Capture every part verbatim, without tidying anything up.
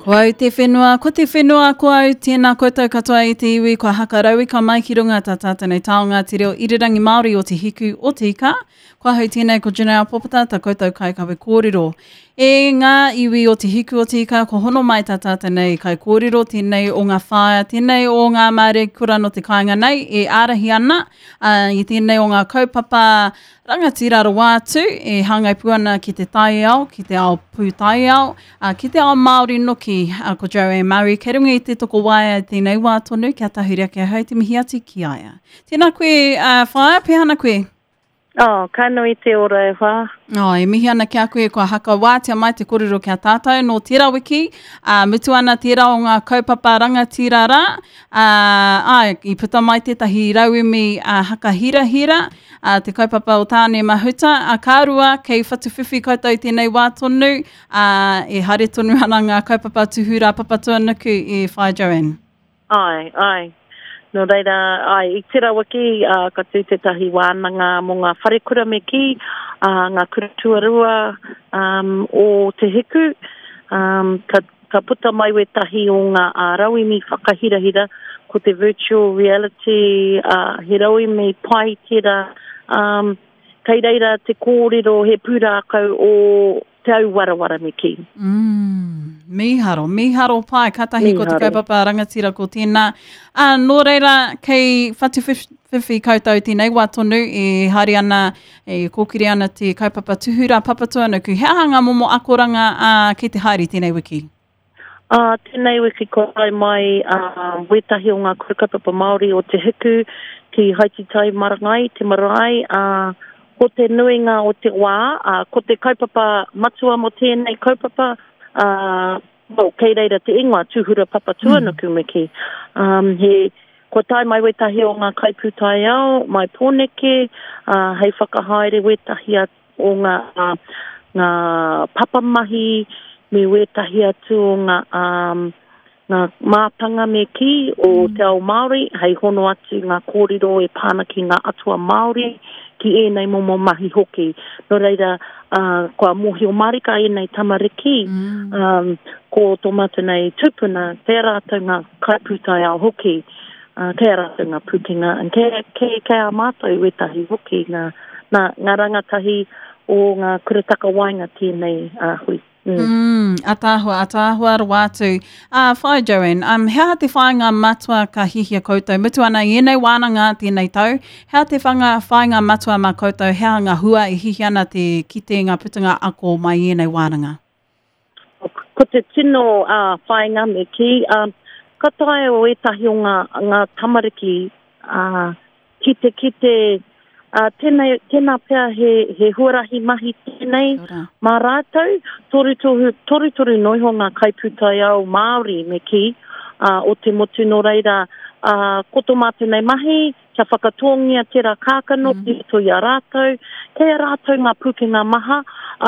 Ko au te whenua, ko te whenua ko au, tēnā koutou katoa i te iwi, kua hakarauika mai ki runga tā tātou nei taonga te reo irirangi Māori o Te Hiku o Te Ika. Ko ahau tēnei ko Janelle Popata, tā koutou kaikawe kōrero. E ngā iwi o Te Hiku o Te Ika, ko hono mai tā tātou nei kaikōrero, tēnei o ngā whaea, tēnei o ngā māreikura no te kāinga nei e ārahi ana uh, i tēnei o ngā kaupapa rangatira rawa atu e hāngai pū ana ki te taiao, ki te ao pūtaiao, uh, ki te ao Māori noki, uh, ko Joanne Murray. Kei runga i te tokowaea i tēnei wā tonu, kia tahuri ake ahau te mihi atu ki a ia. Tēnā koe, uh, whaea, pēhana koe? Oh, ka nui te ora e whā. Oh, e mihi ana ki a koe, kua hakawātea mai te kōrero ki a tātou nō tērā wiki, uh, mutu ana tērā o ngā kaupapa rangatira rā, uh, ai, i puta mai tētahi rauemi uh, hakahirahira, uh, te kaupapa o Tāne Mahuta, uh, ka rua, kei whatuwhiwhi koutou tēnei wā tonu, uh, e haere tonu ana ngā kaupapa Tūhura Papatūānuku e whai Joanne. Ai, ai. Nō reira, ai, i tērā wiki, uh, ka tū tētahi wānanga mō ngā wharekura me kī, uh, ngā kura tuarua um, o Te Hiku. Um, ka, ka puta mai wētahi o ngā uh, rauemi whakahirahira, ko te virtual reality, uh, he rauemi pai tērā. Um, kei reira te kōrero he pūrākau o te au warawara me kī. Mm, mīharo, mīharo pai, kātahi ko te Mīharo. kaupapa rangatira ko tēnā. Uh, nō reira, kei whatuwhiwhi koutou tēnei wā tonu e haere ana, e kōkiri ana te kaupapa Tūhura Papatūānuku. He aha ngā momo akoranga uh, kei te haere tēnei wiki? Uh, tēnei wiki kua tae mai uh, wētahi o ngā kura kaupapa Māori o Te Hiku ki Haititai Marangai, te marae, uh, ko te nuinga o te wā, uh, ko te kaupapa matua mō tēnei kaupapa, uh, well, kei reira te ingoa, Tūhura Papatūānuku mm. me kī. Um, he, kua tae mai wētahi o ngā kaipūtaiao, mai Pōneke, uh, hei whakahaere wētahi o ngā, uh, ngā papamahi, me wētahi atu o ngā, um, ngā mātanga me kī o mm. te ao Māori, hei hono atu ngā kōrero e pāna ki ngā atua Māori, ki ēnei momo mahi hoki. Nō reira, uh, kua mōhio marika ēnei tamariki, Mm. um, ko tō mātou nei tūpuna, kei a rātou ngā kaipūtaiao hoki, uh, kei a rātou ngā pūkenga, and kei, kei, kei a mātou wētahi hoki, ngā, ngā, ngā rangatahi o ngā kura takawaenga tēnei uh, hui. Mm. Mm, ataahua, ataahua rawa atu. Uh, whai Joanne, um, he aha te whāinga matua ka hihia koutou? Mutu ana i ēnei wānanga tēnei tau, he aha te whanga, whāinga matua mā koutou, he aha ngā hua e hihia ana te kite ngā putanga ako mai i ēnei wānanga? Ko te tino uh, whāinga me kī, um, ka taea o ētahi o ngā, ngā tamariki uh, ki te kite, uh, tēnei, tēnā pea he, he huarahi mahi tēnei Kia ora. mā rātou, toru toru, toru toru noiho ngā kaipūtaiao Māori me kī, uh, o te motu nō reira, uh, ko tō mātou nei mahi, kia whakatōngia tērā kākano mm. ki roto i a rātou, kei a rātou ngā pūkenga maha,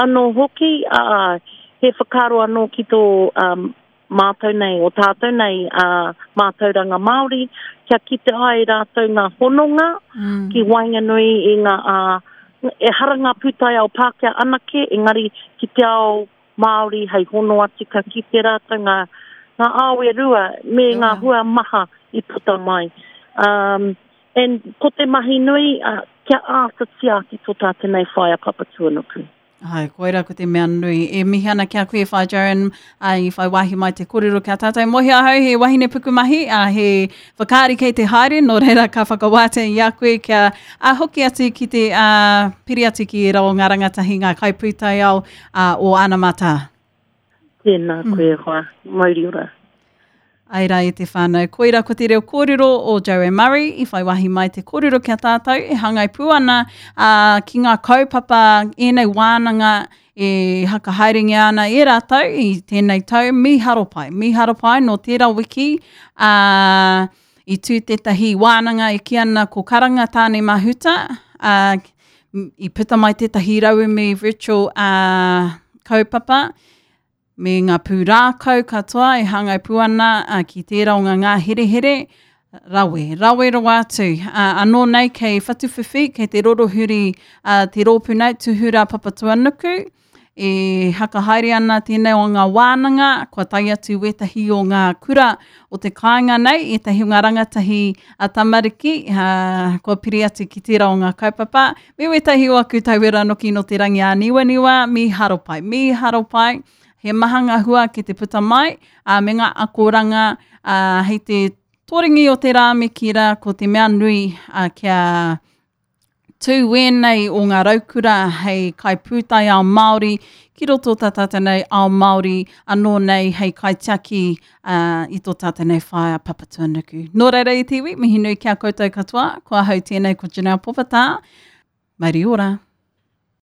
anō hoki, uh, he whakaaro anō ki tō um, mātou nei, o tātou nei, uh, mātauranga Māori, kia kite ai rātou ngā hononga Mm. ki waenganui i ngā, uh, ehara ngā pūtaiao Pākehā anake, engari ki te ao Māori hei hono atu ka kite rātou ngā, ngā ao e rua me Kia ngā ora. hua maha i puta mai. Um, and ko te mahi nui, uh, kia āta tiaki tō tātou nei whaea Papatūānuku. Ai, koira ko te mea nui. E mihi ana ki a koe whai Joanne, uh, i whai wāhi mai te kōrero ki a tātou. Mohi ahau, he wahine pukumahi, uh, he whakaari kei te haere, nō reira ka whakawātea i a koe kia uh, hoki atu ki te uh, piri atu ki ērā o ngā rangatahi ngā kaipūtaiao uh, o Anamata. Tēnā koe e hoa, mauri ora. Ai rā e te whānau. Koira ko te reo kōrero o Joanne Murray i whai wāhi mai te kōrero ki a tātou e hāngai pū ana uh, ki ngā kaupapa ēnei wānanga e hakahaerengia ana e rātou i tēnei tau mīharo pai. Mīharo pai nō tērā wiki uh, i tū tētahi wānanga e kī ana ko Karanga Tāne Mahuta uh, i puta mai tētahi rauemi virtual uh, kaupapa me ngā pūrākau katoa e hāngai pū ana uh, ki tērā o ngā ngāherehere, rawe, rawe rawa atu. Uh, anō nei kei Whatuwhiwhi, kei te rorohuri uh, te rōpū nei, Tūhura Papatūānuku, E hakahaere ana tēnei o ngā wānanga, kua tae atu wētahi o ngā kura o te kāinga nei, ētahi o ngā rangatahi a tamariki, uh, kua piri atu ki tērā o ngā kaupapa, me wētahi o aku tauira noki no te rangi āniwaniwa, mīharo pai, mīharo pai. He maha ngā hua ki te puta mai, uh, me ngā akoranga, uh, hei te toringi o te rā me ki rā, ko te mea nui uh, kia tū wēnei o ngā raukura hei kaipūtai ao Māori, ki roto tā tātou nei ao Māori, anō nei hei kaitiaki uh, i tō tātou nei whaea Papatūānuku. Nō reira i te iwi, mihi nui ki a koutou katoa, ko ahau tēnei ko Janelle Popata. Mauri ora.